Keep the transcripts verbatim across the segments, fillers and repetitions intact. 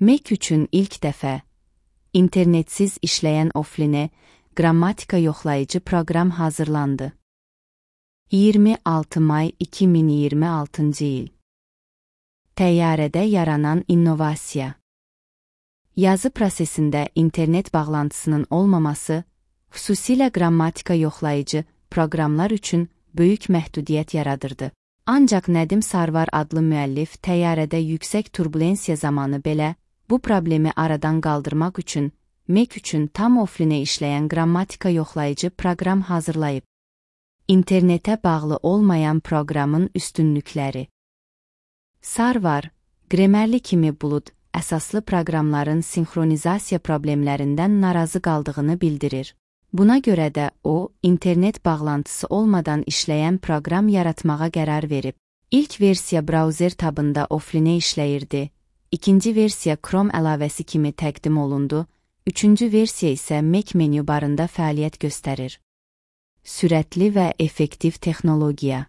Mac üçün ilk dəfə internetsiz işləyən offline qrammatika yoxlayıcı proqram hazırlandı. iyirmi altı may iki min iyirmi altıncı il. Təyyarədə yaranan innovasiya. Yazı prosesində internet bağlantısının olmaması, xüsusilə qrammatika yoxlayıcı proqramlar üçün böyük məhdudiyyət yaradırdı. Ancaq Nədim Sarvar adlı müəllif təyyarədə yüksək turbulensiya zamanı belə bu problemi aradan qaldırmaq üçün Mac üçün tam offline işləyən qrammatika yoxlayıcı proqram hazırlayıb. İnternetə bağlı olmayan proqramın üstünlükləri. Sarvar, Grammarly kimi bulud əsaslı proqramların sinxronizasiya problemlərindən narazı qaldığını bildirir. Buna görə də o, internet bağlantısı olmadan işləyən proqram yaratmağa qərar verib. İlk versiya brauzer tabında offline işləyirdi, ikinci versiya Chrome əlavəsi kimi təqdim olundu, üçüncü versiya isə Mac menü barında fəaliyyət göstərir. Sürətli və effektiv texnologiya.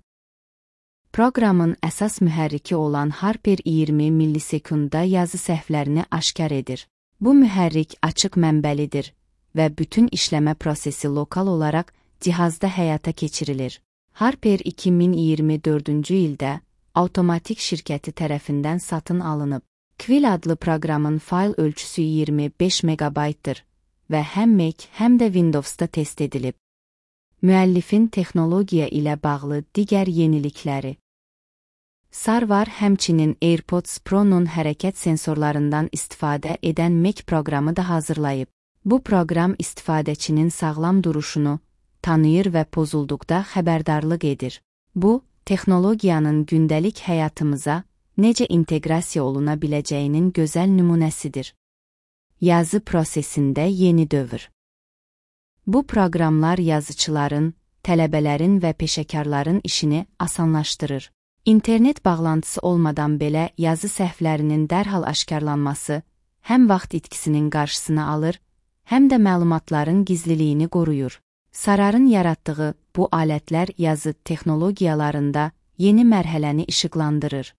Proqramın əsas mühərriki olan Harper iyirmi millisekundda yazı səhvlərini aşkar edir. Bu mühərrik açıq mənbəlidir və bütün işləmə prosesi lokal olaraq cihazda həyata keçirilir. Harper iki min iyirmi dördüncü ildə Avtomatik şirkəti tərəfindən satın alınıb. Quill adlı proqramın fayl ölçüsü iyirmi beş megabaytdır və həm Mac, həm də Windowsda test edilib. Müəllifin texnologiya ilə bağlı digər yenilikləri. Sarvar həmçinin AirPods Pro-nun hərəkət sensorlarından istifadə edən Mac proqramı da hazırlayıb. Bu proqram istifadəçinin sağlam duruşunu tanıyır və pozulduqda xəbərdarlıq edir. Bu, texnologiyanın gündəlik həyatımıza necə inteqrasiya oluna biləcəyinin gözəl nümunəsidir. Yazı prosesində yeni dövr. Bu proqramlar yazıçıların, tələbələrin və peşəkarların işini asanlaşdırır. İnternet bağlantısı olmadan belə yazı səhvlərinin dərhal aşkarlanması həm vaxt itkisinin qarşısını alır, həm də məlumatların gizliliyini qoruyur. Sararın yaratdığı bu alətlər yazı texnologiyalarında yeni mərhələni işıqlandırır.